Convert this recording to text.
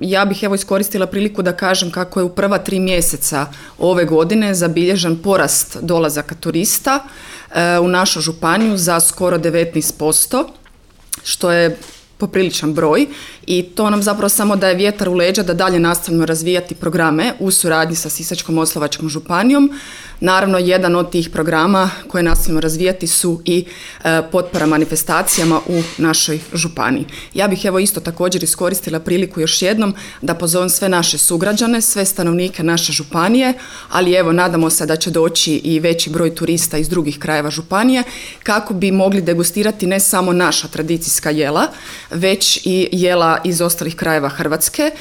ja bih evo iskoristila priliku da kažem kako je u prva 3 mjeseca ove godine zabilježen porast dolazaka turista u našu županiju za skoro 19%, što je popriličan broj i to nam zapravo samo daje vjetar u leđa da dalje nastavimo razvijati programe u suradnji sa Sisačko-moslavačkom županijom. Naravno, jedan od tih programa koje nastavimo razvijati su i potpora manifestacijama u našoj županiji. Ja bih evo isto također iskoristila priliku još jednom da pozovem sve naše sugrađane, sve stanovnike naše županije, ali evo nadamo se da će doći i veći broj turista iz drugih krajeva županije kako bi mogli degustirati ne samo naša tradicijska jela, već i jela iz ostalih krajeva Hrvatske